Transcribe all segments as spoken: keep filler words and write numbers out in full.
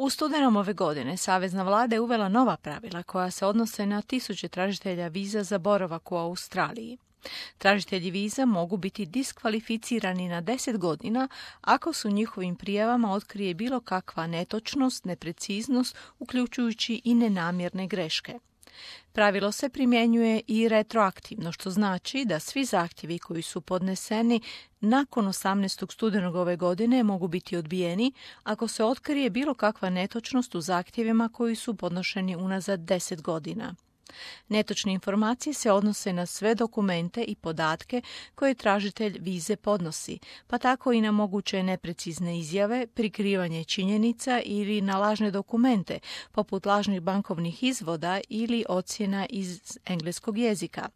U studenom ove godine savezna vlada je uvela nova pravila koja se odnose na tisuće tražitelja viza za boravak u Australiji. Tražitelji viza mogu biti diskvalificirani na deset godina ako su njihovim prijavama otkrije bilo kakva netočnost, nepreciznost, uključujući i nenamjerne greške. Pravilo se primjenjuje i retroaktivno, što znači da svi zahtjevi koji su podneseni nakon osamnaestog studenog ove godine mogu biti odbijeni ako se otkrije bilo kakva netočnost u zahtjevima koji su podnošeni unazad deset godina. Netočne informacije se odnose na sve dokumente i podatke koje tražitelj vize podnosi, pa tako i na moguće neprecizne izjave, prikrivanje činjenica ili na lažne dokumente, poput lažnih bankovnih izvoda ili ocjena iz engleskog jezika.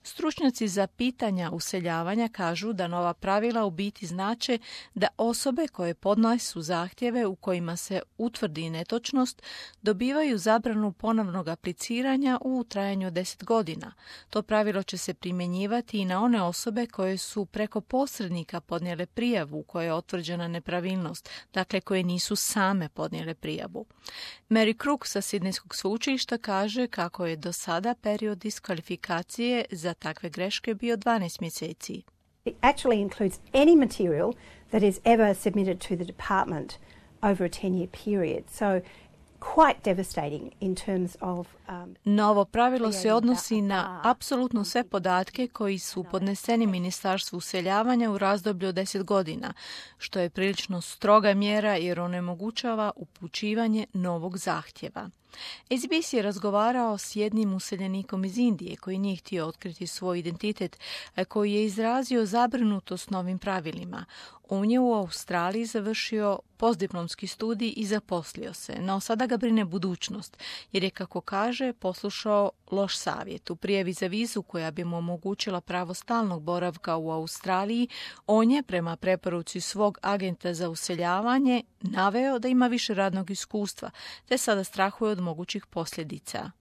Stručnjaci za pitanja useljavanja kažu da nova pravila u biti znače da osobe koje podnesu zahtjeve u kojima se utvrdi netočnost dobivaju zabranu ponovnog apliciranja u trajanju od deset godina. To pravilo će se primjenjivati i na one osobe koje su preko posrednika podnijele prijavu u kojoj je utvrđena nepravilnost, dakle koje nisu same podnijele prijavu. Mary Crook sa Sidnejskog sveučilišta kaže kako je do sada period diskvalifikacije za takve greške bio dvanaest mjeseci. It actually includes any material that is ever submitted to the department over a ten-year period. So quite devastating in terms of um, Novo pravilo se odnosi na apsolutno sve podatke koji su podneseni Ministarstvu useljavanja u razdoblju od deset godina, što je prilično stroga mjera jer onemogućava upućivanje novog zahtjeva. S B S je razgovarao s jednim useljenikom iz Indije koji nije htio otkriti svoj identitet, a koji je izrazio zabrinutost novim pravilima. On je u Australiji završio postdiplomski studij i zaposlio se, no sada ga brine budućnost, jer je, kako kaže, poslušao loš savjet. U prijavi za vizu koja bi mu omogućila pravo stalnog boravka u Australiji, on je, prema preporuci svog agenta za useljavanje, naveo da ima više radnog iskustva, te sada strahuje od mogućih posljedica.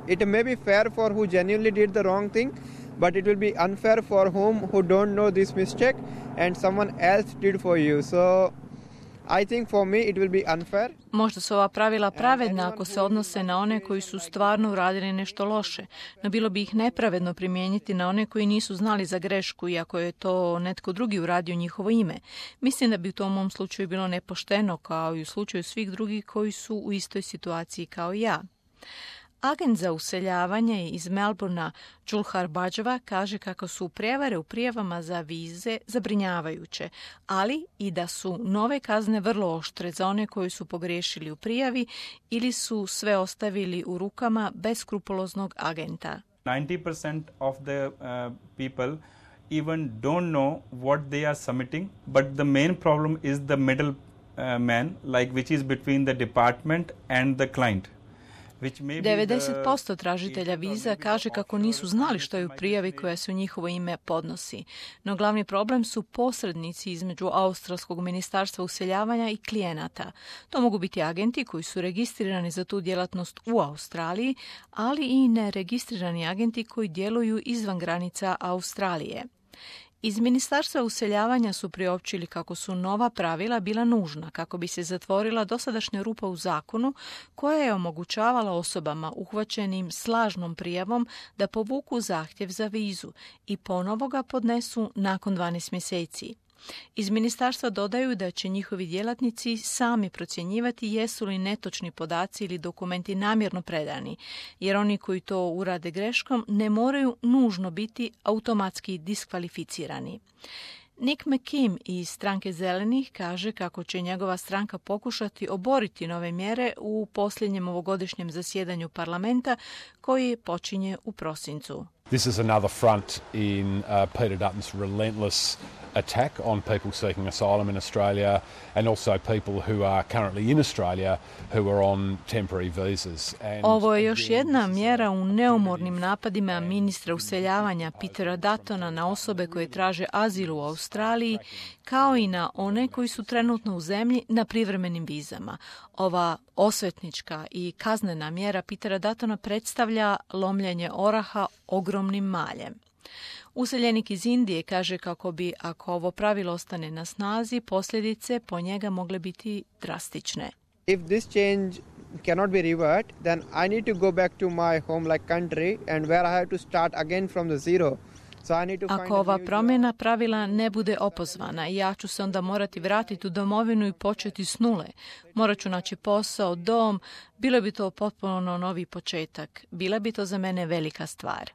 It may be fair for who genuinely did the wrong thing, but it will be unfair for whom who don't know this mistake and someone else did for you. So I think for me it will be unfair. Možda su ova pravila pravedna ako se odnose na one koji su stvarno uradili nešto loše, no bilo bi ih nepravedno primijeniti na one koji nisu znali za grešku, iako je to netko drugi uradio njihovo ime. Mislim da bi u tom mom slučaju bilo nepošteno, kao i u slučaju svih drugih koji su u istoj situaciji kao i ja. Agent za useljavanje iz Melbournea, Julhar Bajava, kaže kako su prijevare u prijavama za vize zabrinjavajuće, ali i da su nove kazne vrlo oštre za one koji su pogriješili u prijavi ili su sve ostavili u rukama beskrupuloznog agenta. ninety percent of the uh, people even don't know what they are submitting, but the main problem is the middle uh, man, like which is between the department and the client. devedeset posto tražitelja viza kaže kako nisu znali što je u prijavi koja se u njihovo ime podnosi. No glavni problem su posrednici između Australskog ministarstva useljavanja i klijenata. To mogu biti agenti koji su registrirani za tu djelatnost u Australiji, ali i neregistrirani agenti koji djeluju izvan granica Australije. Iz Ministarstva useljavanja su priopćili kako su nova pravila bila nužna kako bi se zatvorila dosadašnja rupa u zakonu koja je omogućavala osobama uhvaćenim s lažnom prijavom da povuku zahtjev za vizu i ponovo ga podnesu nakon dvanaest mjeseci. Iz ministarstva dodaju da će njihovi djelatnici sami procjenjivati jesu li netočni podaci ili dokumenti namjerno predani, jer oni koji to urade greškom ne moraju nužno biti automatski diskvalificirani. Nick McKim iz stranke Zelenih kaže kako će njegova stranka pokušati oboriti nove mjere u posljednjem ovogodišnjem zasjedanju parlamenta koji počinje u prosincu. This is another front in uh, Peter Dutton's relentless attack on people seeking asylum in Australia and also people who are currently in Australia who are on temporary visas. And ovo je još jedna mjera u neumornim napadima ministra useljavanja Petera Duttona na osobe koje traže azil u Australiji, kao i na one koji su trenutno u zemlji na privremenim vizama. Ova osvetnička i kaznena mjera Petera Duttona predstavlja lomljenje oraha ogromnim maljem. Useljenik iz Indije kaže kako bi, ako ovo pravilo ostane na snazi, posljedice po njega mogle biti drastične. If this change cannot be reversed, then I need to go back to my home like country and where I have to start again from the zero. So I need to find Ako a ova new promjena pravila ne bude opozvana, ja ću se onda morati vratiti u domovinu i početi s nule. Morat ću naći posao, dom, bilo bi to potpuno novi početak. Bila bi to za mene velika stvar.